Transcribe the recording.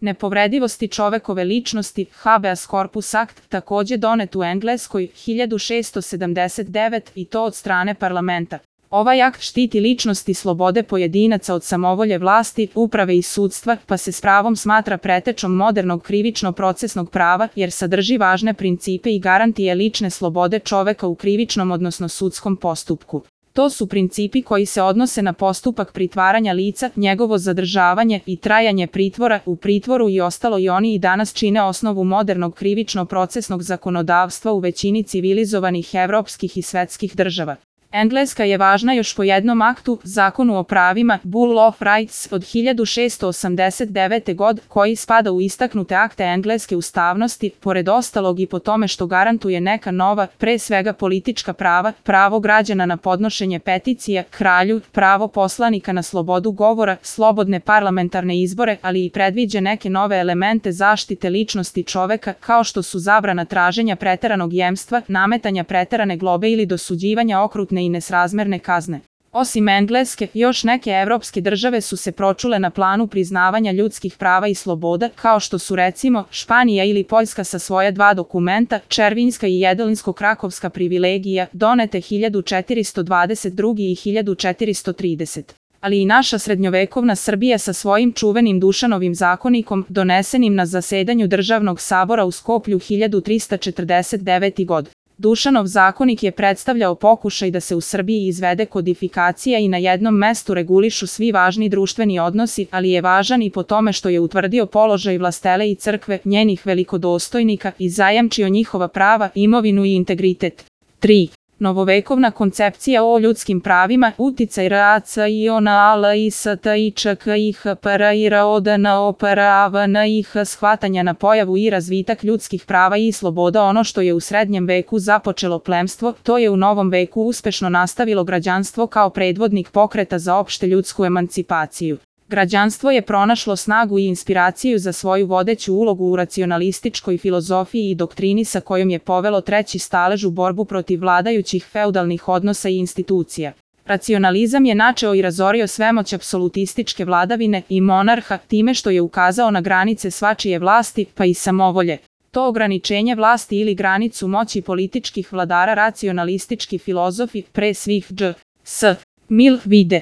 nepovredivosti čovekove ličnosti, Habeas Corpus Act, takođe donet u Engleskoj 1679 i to od strane parlamenta. Ovaj akt štiti ličnost i slobode pojedinaca od samovolje vlasti, uprave i sudstva, pa se s pravom smatra pretečom modernog krivično-procesnog prava, jer sadrži važne principe i garantije lične slobode čoveka u krivičnom odnosno sudskom postupku. To su principi koji se odnose na postupak pritvaranja lica, njegovo zadržavanje i trajanje pritvora u pritvoru i ostalo i oni i danas čine osnovu modernog krivično-procesnog zakonodavstva u većini civilizovanih evropskih i svetskih država. Engleska je važna još po jednom aktu, Zakonu o pravima, Bill of Rights od 1689. godine, koji spada u istaknute akte engleske ustavnosti, pored ostalog i po tome što garantuje neka nova, pre svega politička prava, pravo građana na podnošenje peticija kralju, pravo poslanika na slobodu govora, slobodne parlamentarne izbore, ali i predviđa neke nove elemente zaštite ličnosti čoveka, kao što su zabrana traženja preteranog jemstva, nametanja preterane globe ili dosuđivanja okrutne i nesrazmerne kazne. Osim Engleske, još neke evropske države su se pročule na planu priznavanja ljudskih prava i sloboda, kao što su recimo Španija ili Poljska sa svoja dva dokumenta, Červinska i Jedelinsko-krakovska privilegija, donete 1422. i 1430. Ali i naša srednjovekovna Srbija sa svojim čuvenim Dušanovim zakonikom, donesenim na zasedanju Državnog sabora u Skoplju 1349. godine. Dušanov zakonik je predstavljao pokušaj da se u Srbiji izvede kodifikacija i na jednom mestu regulišu svi važni društveni odnosi, ali je važan i po tome što je utvrdio položaj vlastele i crkve, njenih velikodostojnika i zajamčio njihova prava, imovinu i integritet. 3. Novovekovna koncepcija o ljudskim pravima, uticaj shvatanja na pojavu i razvitak ljudskih prava i sloboda. Ono što je u srednjem veku započelo plemstvo, to je u novom veku uspešno nastavilo građanstvo kao predvodnik pokreta za opšte ljudsku emancipaciju. Građanstvo je pronašlo snagu i inspiraciju za svoju vodeću ulogu u racionalističkoj filozofiji i doktrini sa kojom je povelo treći stalež u borbu protiv vladajućih feudalnih odnosa i institucija. Racionalizam je načeo i razorio svemoć apsolutističke vladavine i monarha time što je ukazao na granice svačije vlasti, pa i samovolje. To ograničenje vlasti ili granicu moći političkih vladara racionalistički filozofi, pre svih J.S. Mill, vide.